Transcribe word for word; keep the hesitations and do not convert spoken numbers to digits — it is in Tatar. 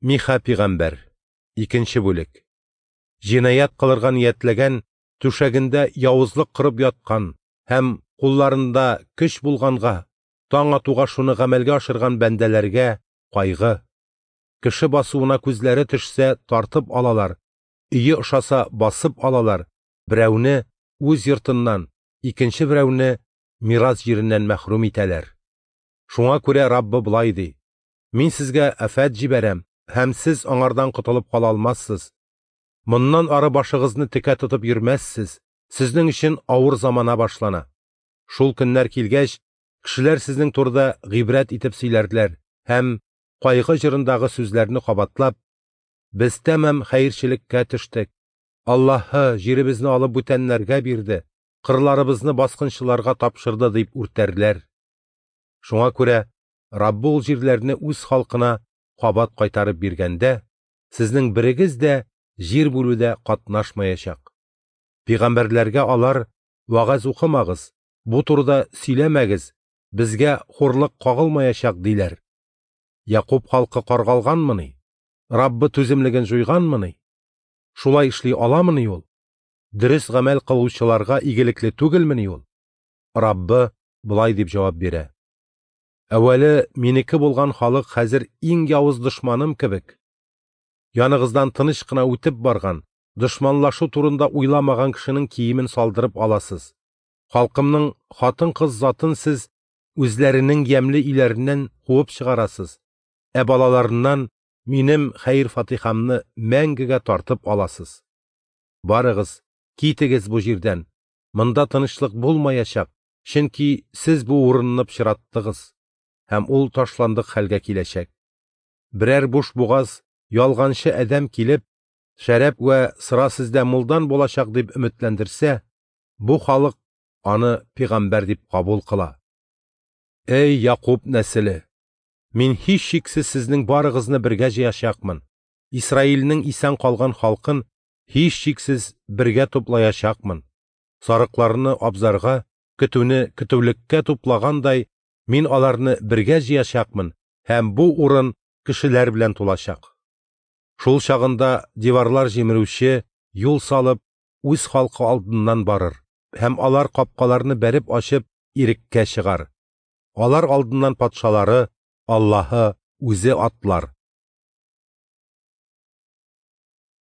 Миха пигамбәр. Икенче бүлек. Җинаять кылырга ниятләгән, түшәгендә явызлык корып яткан һәм кулларында көч булганга, таң атуга шуны гамәлгә ашырган бәндәләргә кайгы. Кеше басуына күзләре төшсә, тартып алалар, өе ошаса, басып алалар, берәүне үз йортыннан, икенче берәүне мирас җиреннән мәхрүм итәләр. Шуңа күрә Раббы болай ди: Мин сезгә афәт җибәрәм, һәм сез аңардан котылып кала алмассыз. Моннан ары башыгызны текә тотып йөрмәссез, сезнең өчен авыр замана башлана. Шул көннәр килгәч, кешеләр сезнең турыда гыйбрәт итеп сөйләрләр һәм кайгы җырындагы сүзләрне кабатлап, без тәмам хәерчелеккә төштек. Аллаһы җиребезне алып бүтәннәргә бирде, кырларыбызны баскынчыларга тапшырды дип үртәрләр. Шуңа күрә Раббы ул җирләрне үз халкына кабат кайтарып биргәндә, сезнең берегез дә җир бүлүдә катнашмаячак. Пигамбәрләргә алар: вәгазь укымагыз, бу турыда сөйләмәгез, безгә хурлык кагылмаячак диләр. Якуб халкы каргалганмыни? Раббы түземлеген җуйганмыни? Шулай эшли аламыни ул? Дөрес гамәл кылучыларга игелекле түгелмени ул? Раббы болай дип җавап бирә: Әүвәле минеке булган халык хәзер иң явыз дошманым кебек. Яныгыздан тыныч кына үтеп барган, дошманлашу турында уйламаган кешенең киемен салдырып аласыз. Халкымның хатын-кыз затын сез үзләренең ямьле өйләреннән куып чыгарасыз, ә балаларыннан минем хәер-фатихамны мәңгегә тартып аласыз. Барыгыз, китегез бу җирдән. Монда тынычлык булмаячак, чөнки сез бу урынны пычраттыгыз, һәм ул ташландык хәлгә киләчәк. Берәр буш бугаз, ялганчы адәм килеп, шәраб вә сыра сездә мулдан булачак дип өметләндерсә, бу халык аны пигамбәр дип кабул кыла. Эй, Якуб нәселе! Мин һичшиксез сезнең барыгызны бергә җыячакмын. Исраилнең исән калган халкын һичшиксез бергә туплаячакмын. Сарыкларны абзарга, көтүне көтүлеккә туплагандай, мин аларны бергә җыячакмын, һәм бу урын кешеләр белән тулачак. Шул чагында диварлар җимерүче юл салып, үз халкы алдыннан барыр, һәм алар капкаларны бәреп ачып, иреккә чыгар. Алар алдыннан патшалары Аллаһы үзе атлар.